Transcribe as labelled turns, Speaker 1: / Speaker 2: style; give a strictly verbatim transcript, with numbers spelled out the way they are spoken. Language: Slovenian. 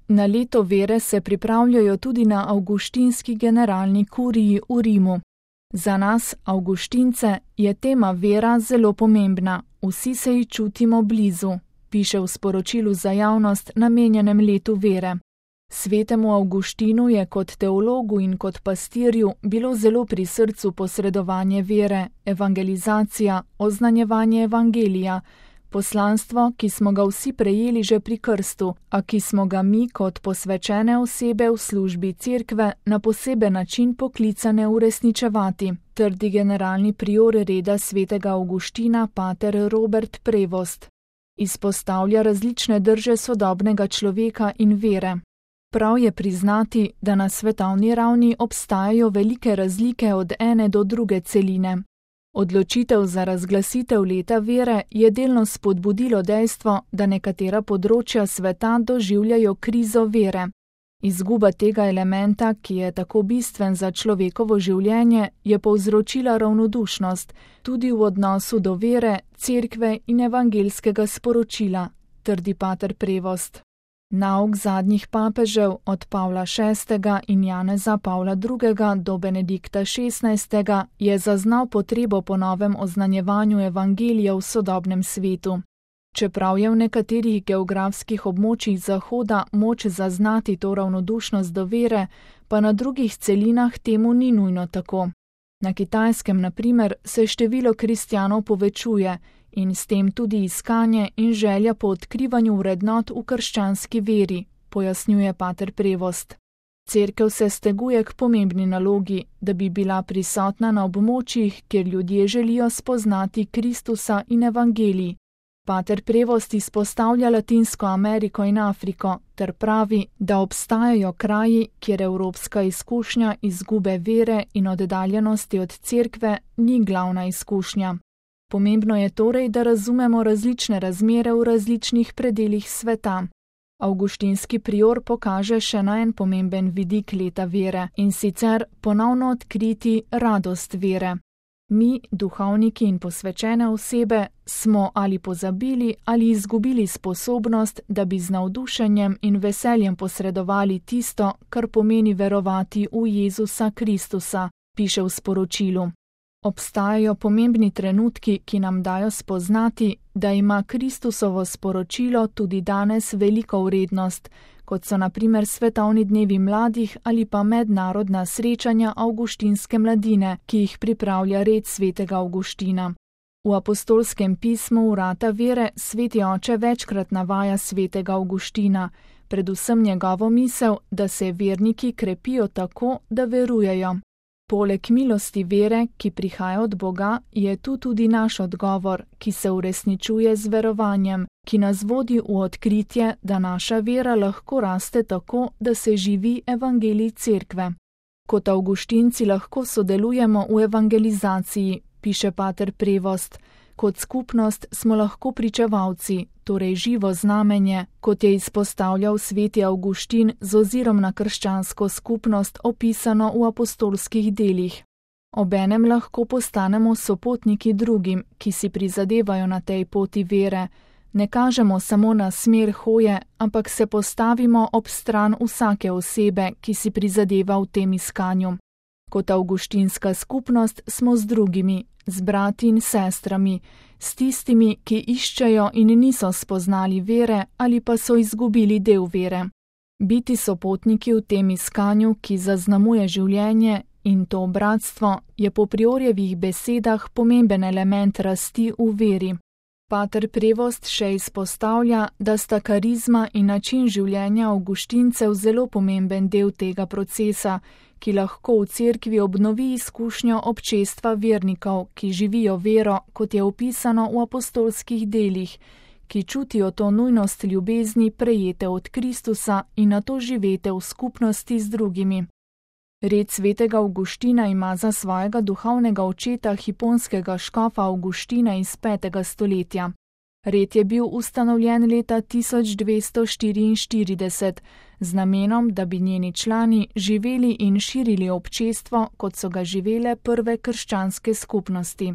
Speaker 1: Na leto vere se pripravljajo tudi na avguštinski generalni kuriji v Rimu. Za nas, avguštince, je tema vera zelo pomembna, vsi se ji čutimo blizu, piše v sporočilu za javnost namenjenem letu vere. Svetemu Avguštinu je kot teologu in kot pastirju bilo zelo pri srcu posredovanje vere, evangelizacija, oznanjevanje evangelija, poslanstvo, ki smo ga vsi prejeli že pri krstu, a ki smo ga mi kot posvečene osebe v službi cerkve na poseben način poklicane uresničevati, trdi generalni prior reda svetega Avguština pater Robert Prevost. Izpostavlja različne drže sodobnega človeka in vere. Prav je priznati, da na svetovni ravni obstajajo velike razlike od ene do druge celine. Odločitev za razglasitev leta vere je delno spodbudilo dejstvo, da nekatera področja sveta doživljajo krizo vere. Izguba tega elementa, ki je tako bistven za človekovo življenje, je povzročila ravnodušnost, tudi v odnosu do vere, cerkve in evangelskega sporočila, trdi pater Prevost. Nauk zadnjih papežev od Pavla šestega in Janeza Pavla drugega do Benedikta šestnajstega je zaznal potrebo po novem oznanjevanju evangelija v sodobnem svetu. Čeprav je v nekaterih geografskih območjih Zahoda moč zaznati to ravnodušnost do vere, pa na drugih celinah temu ni nujno tako. Na Kitajskem, na primer, se število kristjanov povečuje in s tem tudi iskanje in želja po odkrivanju vrednot v krščanski veri, pojasnjuje pater Prevost. Cerkev se steguje k pomembni nalogi, da bi bila prisotna na območjih, kjer ljudje želijo spoznati Kristusa in evangelij. Pater Prevost izpostavlja Latinsko Ameriko in Afriko ter pravi, da obstajajo kraji, kjer evropska izkušnja izgube vere in oddaljenosti od cerkve ni glavna izkušnja. Pomembno je torej, da razumemo različne razmere v različnih predelih sveta. Avguštinski prior pokaže še na en pomemben vidik leta vere, in sicer ponovno odkriti radost vere. Mi, duhovniki in posvečene osebe, smo ali pozabili ali izgubili sposobnost, da bi z navdušenjem in veseljem posredovali tisto, kar pomeni verovati v Jezusa Kristusa, piše v sporočilu. Obstajajo pomembni trenutki, ki nam dajo spoznati, da ima Kristusovo sporočilo tudi danes veliko vrednost, kot so na primer svetovni dnevi mladih ali pa mednarodna srečanja avguštinske mladine, ki jih pripravlja red svetega Avguština. V apostolskem pismu Vrata vere sveti oče večkrat navaja svetega Avguština, predvsem njegovo misel, da se verniki krepijo tako, da verujejo. Poleg milosti vere, ki prihaja od Boga, je tu tudi naš odgovor, ki se uresničuje z verovanjem, ki nas vodi v odkritje, da naša vera lahko raste tako, da se živi evangelij cerkve. Kot avguštinci lahko sodelujemo v evangelizaciji, piše pater Prevost. Kot skupnost smo lahko pričevalci, torej živo znamenje, kot je izpostavljal sveti Avguštin z ozirom na krščansko skupnost opisano v apostolskih delih. Obenem lahko postanemo sopotniki drugim, ki si prizadevajo na tej poti vere. Ne kažemo samo na smer hoje, ampak se postavimo ob stran vsake osebe, ki si prizadeva v tem iskanju. Kot avguštinska skupnost smo z drugimi, z brati in sestrami, s tistimi, ki iščejo in niso spoznali vere ali pa so izgubili del vere. Biti sopotniki v tem iskanju, ki zaznamuje življenje, in to bratstvo, je po priorjevih besedah pomemben element rasti v veri. Pater Prevost še izpostavlja, da sta karizma in način življenja avguštincev zelo pomemben del tega procesa, ki lahko v cerkvi obnovi izkušnjo občestva vernikov, ki živijo vero, kot je opisano v apostolskih delih, ki čutijo to nujnost ljubezni prejete od Kristusa in nato živete v skupnosti z drugimi. Red svetega Avguština ima za svojega duhovnega očeta hiponskega škofa Avguština iz petega stoletja. Red je bil ustanovljen leta tisoč dvesto štiriinštirideset z namenom, da bi njeni člani živeli in širili občestvo, kot so ga živele prve krščanske skupnosti.